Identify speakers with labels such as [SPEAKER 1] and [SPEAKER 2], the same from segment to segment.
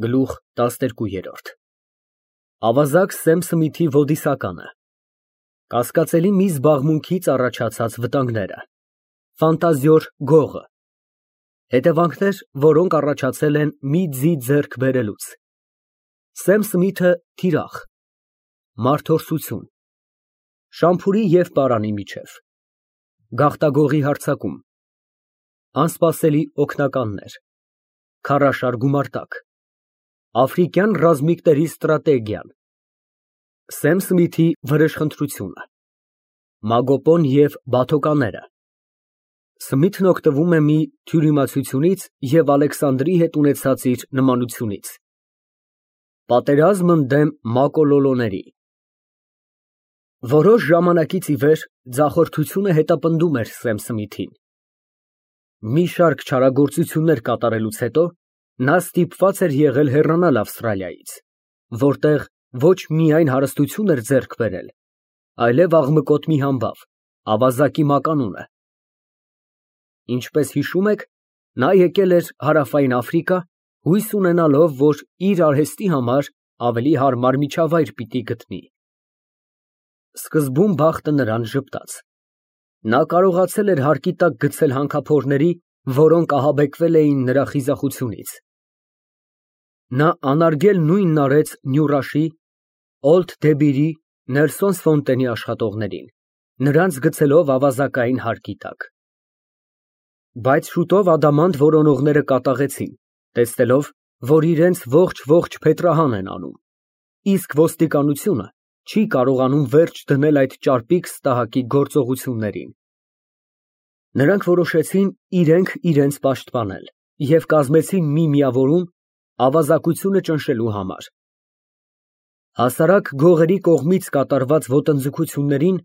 [SPEAKER 1] Գլուխ 12 Ավազակ Սեմ Սմիթի ոդիսականը Կասկածելի մի զբաղմունքից առաջացած վտանգները Ֆանտազիոր գողը Հետևանքներ, որոնք առաջացել են մի ձի ձեռք բերելուց Սեմ Սմիթը թիրախ Մարդորսություն Շամփուրի և պարանի միջև Գաղտագողի հարձակում Անսպասելի օգնականներ Քարաշար գումարտակ Աֆրիկյան ռազմիկների ստրատեգիան Սեմ Սմիթի վրեժխնդրությունը Մագոպոն և բաթոկաները Սմիթն օգտվում է մի թյուրիմացությունից և Ալեքսանդրի հետ ունեցած իր նմանությունից Պատերազմ ընդդեմ մակոլոլոների Որոշ ժամանակից ի վեր ձախորդությունը հետապնդում էր Սեմ Սմիթին Մի շարք չարագործություններ կատարելուց հետո նա ստիպված էր եղել հեռանալ Ավստրալիայից, որտեղ ոչ միայն հարստություն էր ձեռք բերել, այլև աղմկոտ մի համբավ, ավազակի մականունը։ Ինչպես հիշում եք, նա եկել էր Հարավային Աֆրիկա, հույս ունենալով, որ իր արհեստի համար ավելի հարմար միջավայր պիտի գտնի։ Սկզբում բախտը նրան ժպտաց։ Նա կարողացել էր հարկի տակ գցել հանքափորների, որոնք ահաբեկվել էին նրա խիզախությունից։ Նա անարգել նույնն արեց Նյուռաշի, Օլդ Դեբիրի, Նելսոն Ֆոնտենի աշխատողներին, նրանց գցելով ավազակային հարկի տակ։ Բայց շուտով ադամանդ որոնողները կատաղեցին, տեսնելով, որ իրենց ողջ փետրահան են անում, իսկ ոստիկանությունը չի կարողանում վերջ դնել այդ ճարպիկ ստահակի գործողություններին։ Նրանք որոշեցին իրենք իրենց պաշտպանել և կազմեցին մի միավորում ավազակությունը ճնշելու համար։ Հասարակ գողերի կողմից կատարված ոտնձգություններին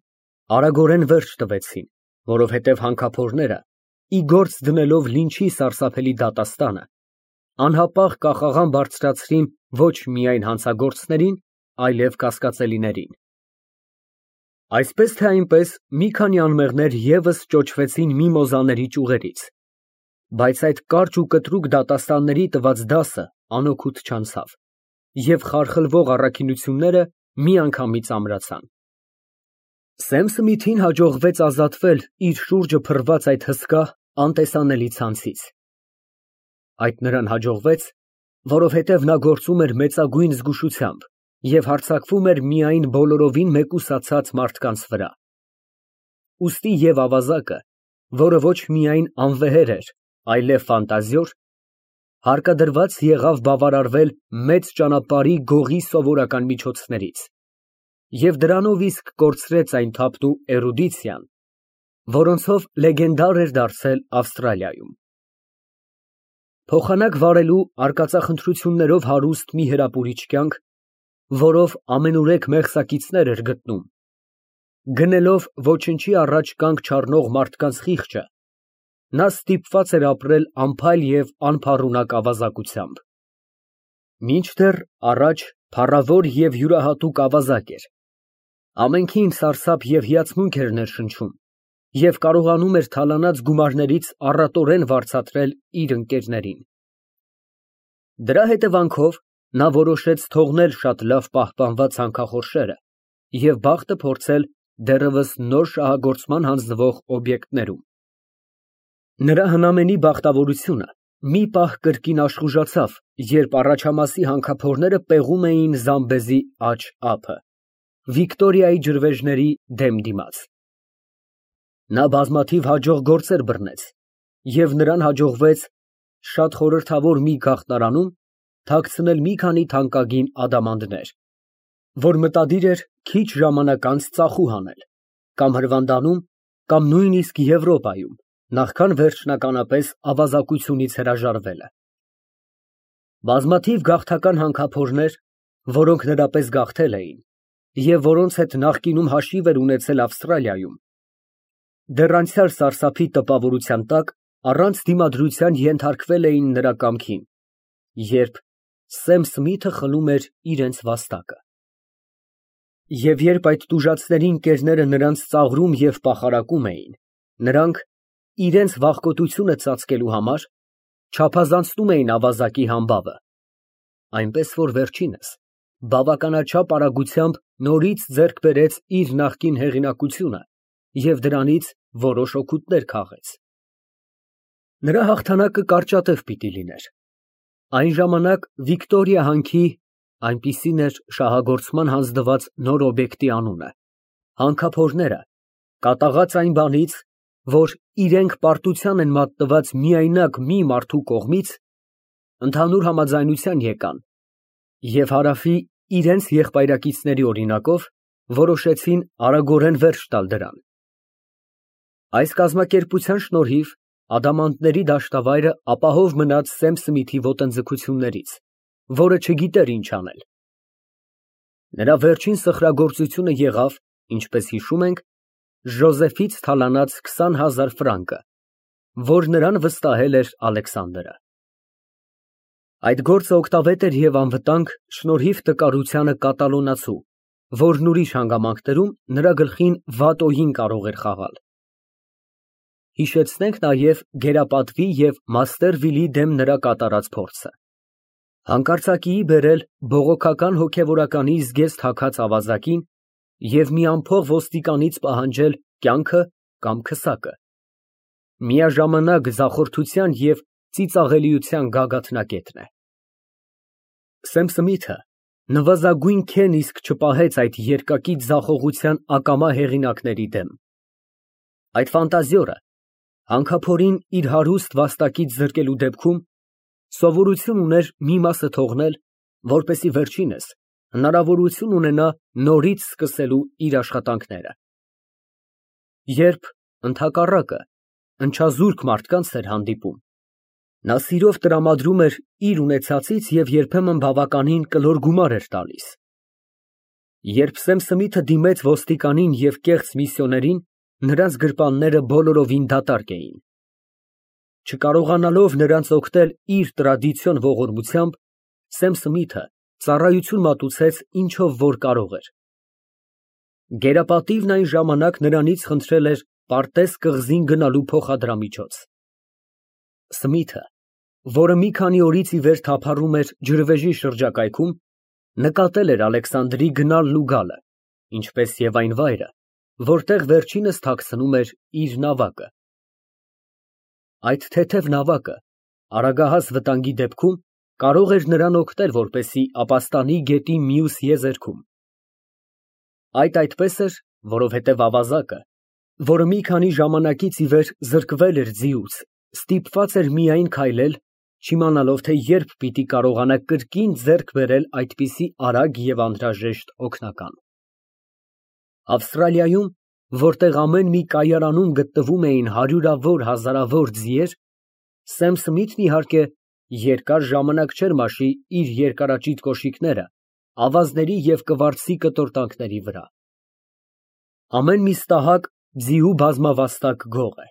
[SPEAKER 1] արագորեն վերջ տվեցին, որովհետև հանքափորները, ի գործ դնելով լինչի սարսափելի դատաստանը, անհապաղ կախաղան բարձրացրին ոչ միայն հանցագործներին, այլև կասկածելիներին։ Այսպես թե այնպես մի քանի անմեղներ ևս ճոճվեցին միմոզաների ճյուղերից, բայց այդ կարճ ու կտրուկ դատաստանների տված դասը անօգուտ չանցավ, և խարխլվող առաքինությունները միանգամից ամրացան։ Սեմ Սմիթին հաջողվեց ազատվել իր շուրջը փռված այդ հսկա, անտեսանելի ցանցից։ Այդ նրան հաջողվեց, որովհետև նա գործում էր մեծագույն զգուշությամբ և հարձակվում էր միայն բոլորովին մեկուսացած մարդկանց վրա։ Ուստի և ավազակը, որը ոչ միայն անվեհեր էր, այլև ֆանտազիոր, հարկադրված եղավ բավարարվել մեծ ճանապարհի գողի սովորական միջոցներից և դրանով իսկ կորցրեց այն թափն ու էրուդիցիան, որոնցով լեգենդար էր դարձել Ավստրալիայում։ Փոխանակ վարելու արկածախնդրություններով հարուստ մի հրապուրիչ կյանք, որով ամենուրեք մեղսակիցներ էր գտնում, գնելով ոչնչի առաջ կանգ չառնող մարդկանց խիղճը, նա ստիպված էր ապրել անփայլ և անփառունակ ավազակությամբ։ Մինչդեռ առաջ փառավոր և յուրահատուկ ավազակ էր, ամենքին սարսափ և հիացմունք էր ներշնչում և կարողանում էր թալանած գումարներից առատորեն վարձատրել իր ընկերներին։ Դրա հետևանքով նա որոշեց թողնել շատ լավ պահպանված հանքախորշերը և բախտը փորձել դեռևս նոր շահագործման հանձնվող օբյեկտներում։ Նրա հնամենի բախտավորությունը մի պահ կրկին աշխուժացավ, երբ առաջամասի հանքափորները պեղում էին Զամբեզի աջ ափը, Վիկտորիայի ջրվեժների դեմ դիմաց։ Նա բազմաթիվ հաջող գործեր բռնեց, և նրան հաջողվեց շատ խորհրդավոր մի գաղտնարանում թաքցնել մի քանի թանկագին ադամանդներ, որ մտադիր էր քիչ ժամանակ անց ծախու հանել, կամ Հրվանդանում, կամ նույնիսկ Եվրոպայում, նախքան վերջնականապես ավազակությունից հրաժարվելը։ Բազմաթիվ գաղթական հանքափորներ, որոնք նրա պես գաղթել էին, և որոնց հետ նախկինում հաշիվ էր ունեցել Ավստրալիայում, դեռ անցյալ սարսափի տպավորության տակ առանց դիմադրության ենթարկվել էին նրա կամքին, երբ Սեմ Սմիթը խլում էր իրենց վաստակը։ Եվ երբ այդ տուժածների ընկերները նրանց ծաղրում և պախարակում էին, նրանք, իրենց վախկոտությունը ծածկելու համար, չափազանցնում էին ավազակի համբավը, այնպես որ վերջինս բավականաչափ արագությամբ նորից ձեռք բերեց իր նախկին հեղինակությունը և դրանից որոշ օգուտներ քաղեց։ Նրա հաղթանակը կարճատև պիտի լիներ։ Այն ժամանակ Վիկտորիա հանքի, այնպիսին էր շահագործման հանձնված նոր օբյեկտի անունը, հանքափորները, կատաղած այն բանից, որ իրենք պարտության են մատնված միայնակ մի մարդու կողմից, ընդհանուր համաձայնության եկան և Հարավի իրենց եղբայրակիցների օրինակով որոշեցին արագորեն վերջ տալ դրան։ Այս կազմակերպության շնորհիվ ադամանդների դաշտավայրը ապահով մնաց Սեմ Սմիթի ոտնձգություններից, որը չգիտեր ինչ անել։ Նրա վերջին սխրագործությունը եղավ, ինչպես հիշում ենք, Ժոզեֆից թալանած 20,000 ֆրանկը, որ նրան վստահել էր Ալեքսանդրը։ Այդ գործը օգտավետ էր և անվտանգ շնորհիվ տկարությանը կատալոնացու, որն ուրիշ հանգամանքներում նրա գլխին վատ օգին կարող էր խաղալ։ Հիշեցնենք նաև Գերապատվի և Մաստերվիլի դեմ նրա կատարած փորձը։ Հանկարծակիի բերել բողոքական հոգևորականի զգեստ հագած ավազակին և մի անփող ոստիկանից պահանջել կյանքը կամ քսակը։ Միաժամանակ ձախորդության և ծիծաղելիության գագաթնակետն է։ Սեմ Սմիթը նվազագույն քեն իսկ չպահեց այդ երկակի ձախողության ակամա հեղինակների դեմ։ Այդ ֆանտազիորը հանքափորին իր հարուստ վաստակից զրկելու դեպքում սովորություն ուներ մի մասը թողնել, որպեսզի վերջինս հնարավորություն ունենա նորից սկսելու իր աշխատանքները։ Երբ ընդհակառակը ընչազուրկ մարդկանց էր հանդիպում, նա սիրով տրամադրում էր իր ունեցածից և երբեմն բավականին կլոր գումար էր տալիս։ Երբ Սեմ Սմիթը դիմեց ոստիկանին և կեղծ միսիոներին, նրանց գրպանները բոլորովին դատարկ էին։ Չկարողանալով նրանց օգնել իր տրադիցիոն ողորմությամբ, Սեմ Սմիթը ծառայություն մատուցեց ինչով որ կարող էր։ Գերապատիվն այն ժամանակ նրանից խնդրել էր Պարտես կղզին գնալու փոխադրամիջոց։ Սմիթը, որը մի քանի օրից ի վեր թափառում էր ջրվեժի շրջակայքում, նկատել էր Ալեքսանդրի գնալն ու գալը, ինչպես և այն վայրը, որտեղ վերջինս թաքցնում էր իր նավակը։ Այդ թեթև նավակը արագահաս վտանգի դեպքում կարող էր նրան օգնել, որպեսզի ապաստանի գետի մյուս եզերքում։ Այդ այդպես էր, որովհետև ավազակը, որը մի քանի ժամանակից ի վեր զրկվել էր ձիուց, ստիպված էր միայն քայլել, չիմանալով, թե երբ պիտի կարողանա կրկին ձեռք բերել այդպիսի արագ և անհրաժեշտ օգնական։ Ավստրալիայում, որտեղ ամեն մի կայարանում գտնվում էին հարյուրավոր, հազարավոր ձիեր, Սեմ Սմիթն իհարկե երկար ժամանակ չէր մաշի իր երկարաճիտ կոշիկները ավազների և կվարձի կտորտանքների վրա։ Ամեն մի ստահակ ձիու բազմավաստակ գող է,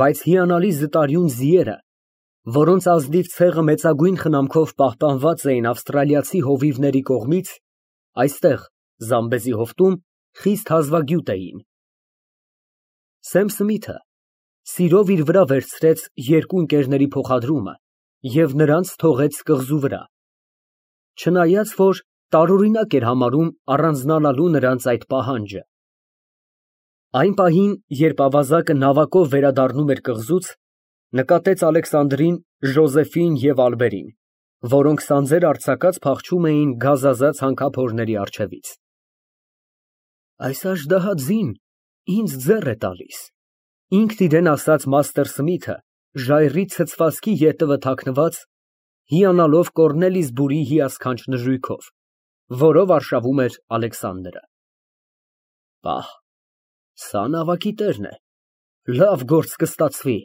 [SPEAKER 1] բայց հիանալի զտարյուն ձիերը, որոնց ազնիվ ցեղը մեծագույն խնամքով պահպանված էին ավստրալիացի հովիվների կողմից, այստեղ Զամբեզի հովտում խիստ հազվագյուտ էին։ Սեմ Սմիթը սիրով իր վրա վերցրեց երկու ընկերների փոխադրումը և նրանց թողեց կղզու վրա, չնայած որ տարօրինակ էր համարում առանձնանալու նրանց այդ պահանջը։ Այն պահին, երբ ավազակը նավակով վերադառնում էր կղզուց, նկատեց Ալեքսանդրին, Ժոզեֆին և Ալբերին, որոնք սանձեր արձակած փախչում էին գազազած հանքափորների առջևից։ Այս աժդահա ձին ինձ ձեռ է տալիս, ինքն իրեն ասաց Մաստեր Սմիթը, ժայռի ցցվածքի ետևը թաքնված, հիանալով Կոռնելիսբուրի հիասքանչ նժույգով, որով արշավում էր Ալեքսանդրը։ Պահ, սա նավակի տերն է, լավ գործ կստացվի։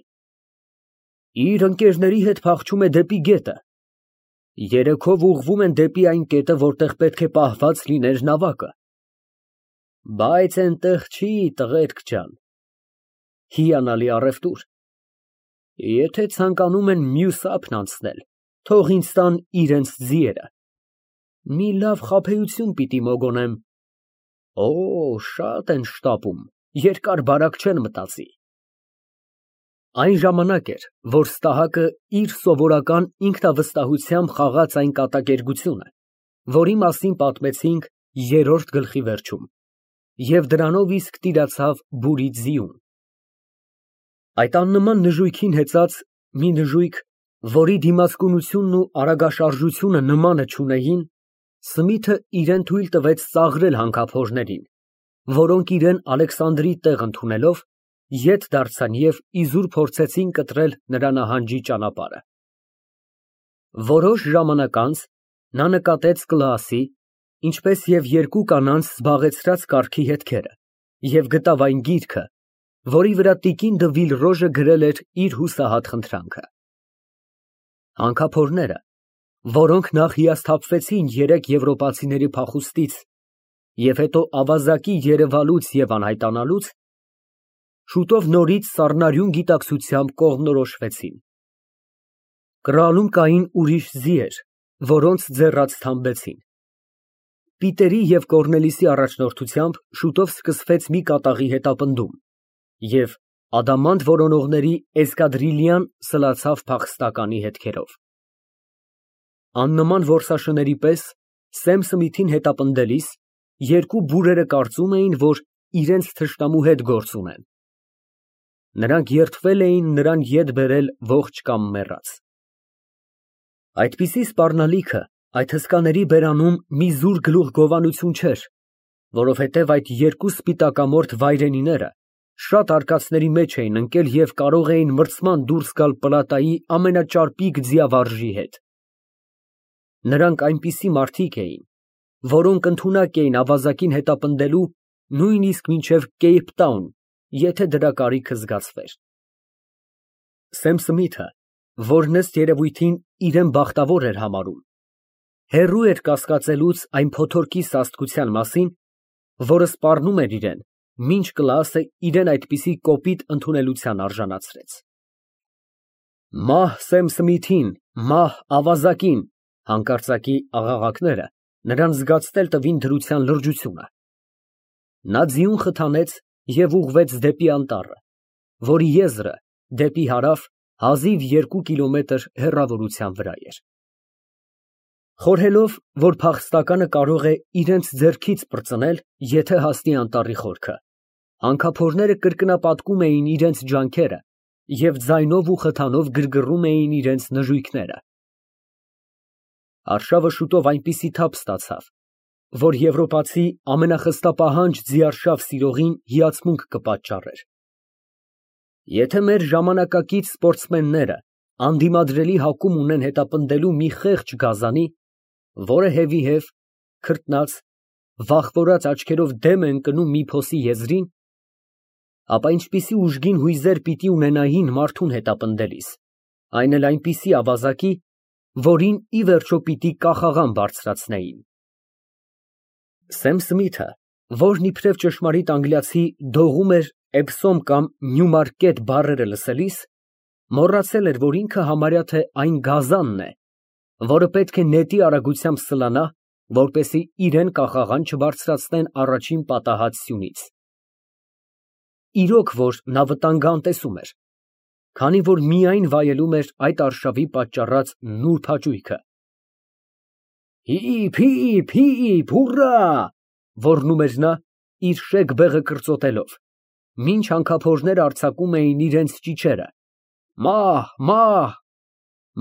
[SPEAKER 1] Իր ընկերների հետ փախչում է դեպի գետը, երեքով ուղղվում են դեպի այն կետը, որտեղ պետք է պահված լիներ նավակը։ Բայց այնտեղ չի, տղերք ջան, հիանալի առևտուր։ Եթե ցանկանում են մյուս ափն անցնել, թող ինձ տան իրենց ձիերը։ Մի լավ խաբեություն պիտի մոգոնեմ։ Օ, շատ են շտապում, երկար բարակ չեն մտածի։ Այն ժամանակ էր, որ Ստահակը իր սովորական ինքնավստահությամբ խաղաց այն կատակերգությունը, որի մասին պատմեցինք երրորդ գլխի վերջում, և դրանով իսկ տիրացավ բուրի ձիուն։ Այդ աննման նժույգին հեծած մի նժույգ, որի դիմացկունությունն ու արագաշարժությունը նմանը չունեին, Սմիթը իրան թույլ տվեց ծաղրել հանքափորներին, որոնք իրան Ալեքսանդրի տեղ ընդունելով, ետ դարձան և իզուր փորձեցին կտրել նրա նահանջի ճանապարհը։ Որոշ ժամանակ անց նա նկատեց Կլաասի, ինչպես և երկու կանանց զբաղեցրած կառքի հետքերը և գտավ այն գիրքը, որի վրա տիկին դը Վիլրոժը գրել էր իր հուսահատ խնդրանքը։ Հանքափորները, որոնք նախ հիասթափվեցին երեք եվրոպացիների փախուստից և հետո ավազակի երևալուց և անհայտանալուց, շուտով նորից սառնարյուն գիտակցությամբ կողմնորոշվեցին։ Կռալում կային ուրիշ ձիեր, որոնց ձեռաց թամբեցին։ Պիտերի և Կոռնելիսի առաջնորդությամբ շուտով սկսվեց մի կատաղի հետապնդում, և ադամանդ որոնողների էսկադրիլյան սլացավ փախստականի հետքերով։ Աննման որսաշների պես Սեմ Սմիթին հետապնդելիս երկու բուրերը կարծում էին, որ իրենց թշնամու հետ գործ ունեն։ Նրանք երդվել էին նրան ետ բերել ողջ կամ մեռած։ Այդպիսի սպառնալիքը այդ հսկաների բերանում մի զուր գլուխգովանություն չէր, որովհետև այդ երկու սպիտակամորթ վայրենիները շատ արկածների մեջ էին ընկել և կարող էին մրցման դուրս գալ Պլատայի ամենաճարպիկ ձիավարժի հետ։ Նրանք այնպիսի մարդիկ էին, որոնք ընդունակ էին ավազակին հետապնդելու նույնիսկ մինչև Կեյփթաուն, եթե դրա կարիքը զգացվեր։ Սեմ Սմիթը, որն ըստ երևույթին իրեն բախտավոր էր համարում, հեռու էր կասկածելուց այն փոթորկի սաստկության մասին, որը սպառնում էր իրան, մինչ Կլաասը իրան այդպիսի կոպիտ ընդունելության արժանացրեց։ Մահ Սեմ Սմիթին, մահ ավազակին, հանկարծակի աղաղակները նրան զգացնել տվին դրության լրջությունը։ Նա ձիուն խթանեց և ուղղվեց դեպի անտառը, որի եզրը դեպի հարավ հազիվ 2 կիլոմետր հեռավորության վրա էր։ Խորհելով, որ փախստականը կարող է իրենց ձեռքից պրծնել, եթե հասնի անտառի խորքը, հանքափորները կրկնապատկում էին իրենց ջանքերը և ձայնով ու խթանով գրգռում էին իրենց նժույգները։ Արշավը շուտով այնպիսի թափ ստացավ, որ եվրոպացի ամենախստապահանջ ձիարշավ սիրողին հիացմունք կպատճառեր։ Եթե մեր ժամանակակից սպորտսմենները անդիմադրելի հակում ունեն հետապնդելու մի խեղճ գազանի, որը հետևի, քրտնած, վախվորած աչքերով դեմ է ընկնում մի փոսի եզրին, ապա ինչպիսի ուժգին հույզեր պիտի ունենային մարդուն հետապնդելիս, այն էլ այնպիսի ավազակի, որին ի վերջո պիտի կախաղան բարձրացնեին։ Սեմ Սմիթը, որն իբրև ճշմարիտ անգլիացի դողում էր Էբսոմ կամ Նյումարկետ բառերը լսելիս, մոռացել էր, որ ինքը համարյա թե այն գազանն է, որը պետք է նետի արագությամբ սլանա, որպեսզի իրան կախաղան չբարձրացնեն առաջին պատահած սյունից։ Իրոք որ նա վտանգը անտեսում էր, քանի որ միայն վայելում էր այդ արշավի պատճառած նուրբ հաճույքը։ Հիփ, հիփ, հիփ, հուռա, ոռնում էր նա, իր շեկ բեղը կրծոտելով, մինչ հանքափորները արձակում էին իրենց ճիչերը. մահ, մահ,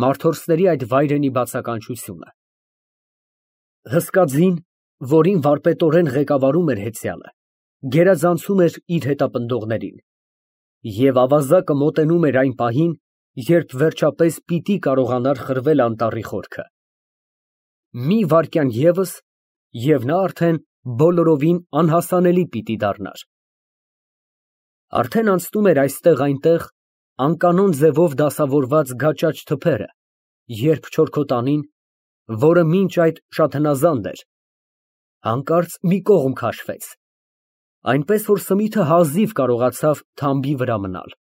[SPEAKER 1] մարդորսների այդ վայրենի բացականչությունը։ Հսկա ձին, որին վարպետորեն ղեկավարում էր հեծյալը, գերազանցում էր իր հետապնդողներին, և ավազակը մոտենում էր այն պահին, երբ վերջապես պիտի կարողանար խրվել անտառի խորքը։ Մի վայրկյան ևս, և նա արդեն բոլորովին անհասանելի պիտի դառնար։ Արդեն անցնում էր այստեղ֊այնտեղ անկանոն ձևով դասավորված գաճաճ թփերը, երբ չորքոտանին, որը մինչ այդ շատ հնազանդ էր, հանկարծ մի կողմ քաշվեց, այնպես որ Սմիթը հազիվ կարողացավ թամբի վրա մնալ։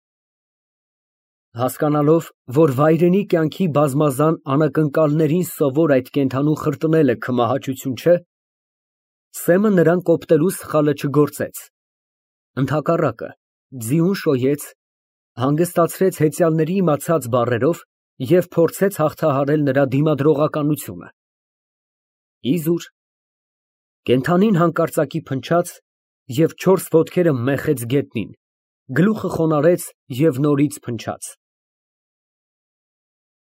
[SPEAKER 1] Հասկանալով, որ վայրենի կյանքի բազմազան անակնկալներին սովոր այդ կենդանու խրտնելը քմահաճություն չէ, Սեմը նրան կոպտելու սխալը չգործեց, ընդհակառակը, ձիուն շոյեց Հանգստացրեց հեծյալների իմացած բառերով և փորձեց հաղթահարել նրա դիմադրողականությունը։ Իզուր կենդանին հանկարծակի փնչաց և չորս ոտքերը մեխեց գետնին, գլուխը խոնարհեց և նորից փնչաց։